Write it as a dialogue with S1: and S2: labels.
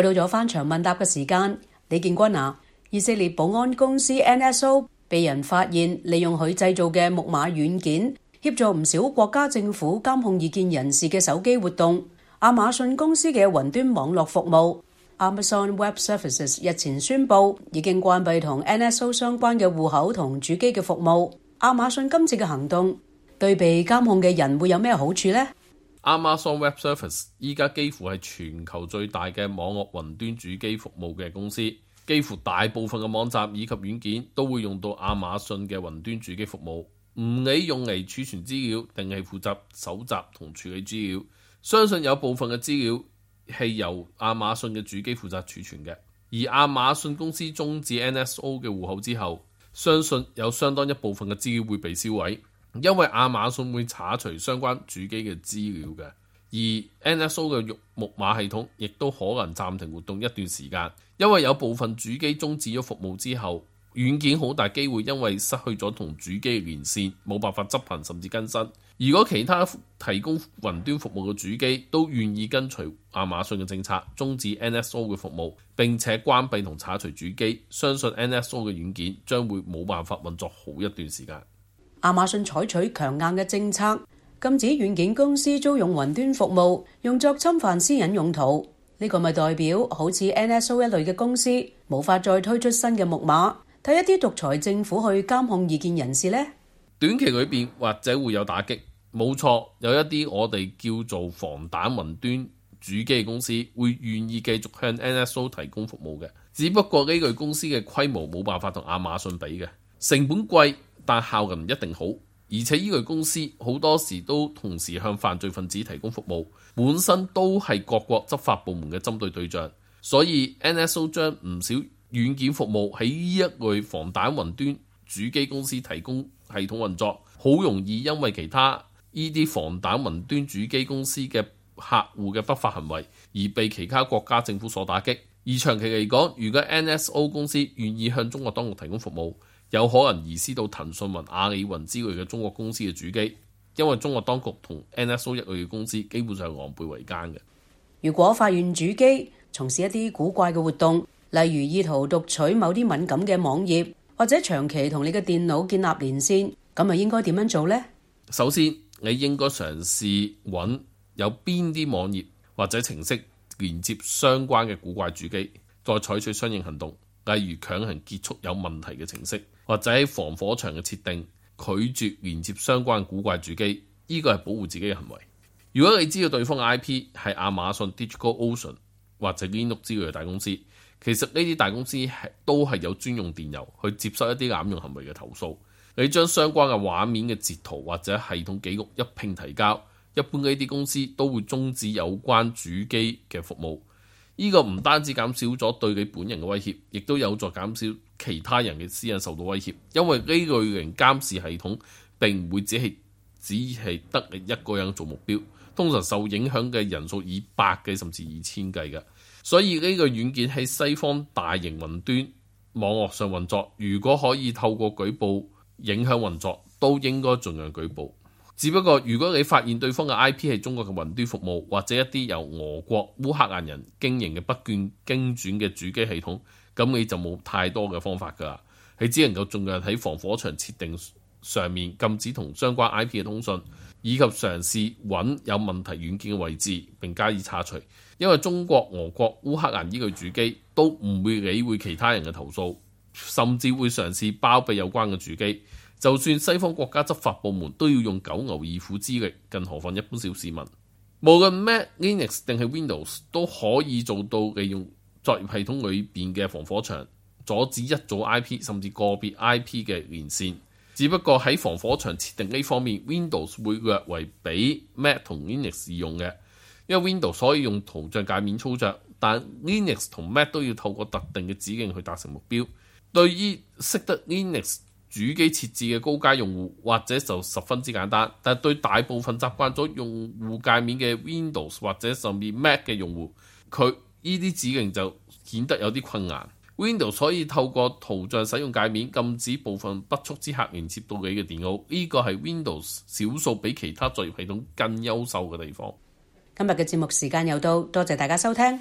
S1: 又到咗翻牆問答嘅時間，李建軍啊，以色列保安公司 NSO 被人發現利用佢製造嘅木馬軟件協助唔少國家政府監控異見人士嘅手機活動。亞馬遜公司嘅雲端網絡服務 Amazon Web Services 日前宣布已經關閉同 NSO 相關嘅戶口同主機嘅服務。亞馬遜今次嘅行動對被監控嘅人會有咩好處呢？
S2: Amazon Web Services 依家幾乎係全球最大嘅網絡雲端主機服務嘅公司，幾乎大部分嘅網站以及軟件都會用到亞馬遜嘅雲端主機服務，唔理用嚟儲存資料定係負責搜集同處理資料。相信有部分嘅資料係由亞馬遜嘅主機負責儲存嘅，而亞馬遜公司終止 NSO 嘅戶口之後，相信有相當一部分嘅資料會被銷毀，因為亞馬遜會查除相關主機嘅資料嘅，而 NSO 嘅木馬系統亦都可能暫停活動一段時間，因為有部分主機終止咗服務之後，軟件好大機會因為失去咗同主機嘅連線，冇辦法執行甚至更新。如果其他提供雲端服務嘅主機都願意跟隨亞馬遜嘅政策，終止 NSO 嘅服務，並且關閉同剷除主機，相信 NSO 嘅軟件將會冇辦法運作好一段時間。
S1: 亞馬遜採取強硬嘅政策，禁止軟件公司租用雲端服務用作侵犯私隱用途。呢個咪代表好似 NSO 一類嘅公司無法再推出新嘅木馬，睇一啲獨裁政府去監控異見人士呢？
S2: 短期裏邊或者會有打擊，冇錯，有一啲我哋叫做防彈雲端主機嘅公司會願意繼續向 NSO 提供服務嘅，只不過呢類公司嘅規模冇辦法同亞馬遜比嘅，成本貴，但效能唔一定好，而且呢類公司好多時都同時向犯罪分子提供服務，本身都係各國執法部門嘅針對對象，所以 NSO 將唔少軟件服務喺呢一類防彈雲端主機公司提供系統運作，好容易因為其他呢啲防彈雲端主機公司嘅客戶嘅不法行為而被其他國家政府所打擊。而長期嚟講，如果 NSO 公司願意向中國當局提供服務，有可能移師到騰訊雲、阿里雲之類嘅中國公司嘅主機，因為中國當局同 NSO 一類嘅公司基本上係狼狽為奸嘅。
S1: 如果發現主機從事一啲古怪嘅活動，例如意圖讀取某啲敏感嘅網頁，或者長期同你嘅電腦建立連線，咁咪應該點樣做呢？首先，
S2: 你應該嘗試揾有邊啲網頁或者程式連接相關嘅古怪主機，再採取相應行動，例如強行結束有問題嘅程式，或者喺防火牆嘅設定拒絕連接相關古怪主機，呢個係保護自己嘅行為。如果你知道對方嘅 IP 係亞馬遜、DigitalOcean 或者 Linux 之類嘅大公司，其實呢啲大公司都係有專用電郵去接收一啲濫用行為嘅投訴。你將相關嘅畫面嘅截圖或者系統記錄一併提交，一般呢啲公司都會終止有關主機嘅服務。呢個唔單止減少咗對你本人嘅威脅，亦都有助減少其他人嘅私隱受到威脅，因為呢類型監視系統並唔會只係得你一個人做目標，通常受影響嘅人數以百計甚至2000計嘅。所以呢個軟件喺西方大型雲端網絡上運作，如果可以透過舉報影響運作，都應該盡量舉報。只不過如果你發現對方嘅 IP 係中國嘅雲端服務，或者一啲由俄國、烏克蘭人經營嘅不斷經轉嘅主機系統，咁你就冇太多嘅方法㗎啦。你只能夠盡量喺防火牆設定上面禁止同相關 IP 嘅通訊，以及嘗試揾有問題軟件嘅位置並加以拆除。因為中國、俄國、烏克蘭呢個主機都唔會理會其他人嘅投訴，甚至會嘗試包庇有關嘅主機。就算西方國家執法部門都要用九牛二虎之力，更何況一般小市民。無論 Mac、Linux 定係 Windows 都可以做到利用作業系統裏邊嘅防火牆，阻止一組 IP 甚至個別 IP 嘅連線。只不過喺防火牆設定呢方面， Windows 會略為比 Mac 同 Linux 易用嘅，因為 Windows 可以用圖像界面操作，但 Linux 同 Mac 都要透過特定嘅指令去達成目標。對於識得 Linux主機設置嘅高階用戶，或者就十分之簡單，但對大部分習慣咗用戶界面嘅 Windows 或者甚至 Mac 嘅用戶，佢呢啲指令就顯得有啲困難。Windows 可以透過圖像使用界面禁止部分不速之客連接到你嘅電腦，呢個係 Windows 少數比其他作業系統更優秀嘅地方。
S1: 今日嘅節目時間又到，多謝大家收聽。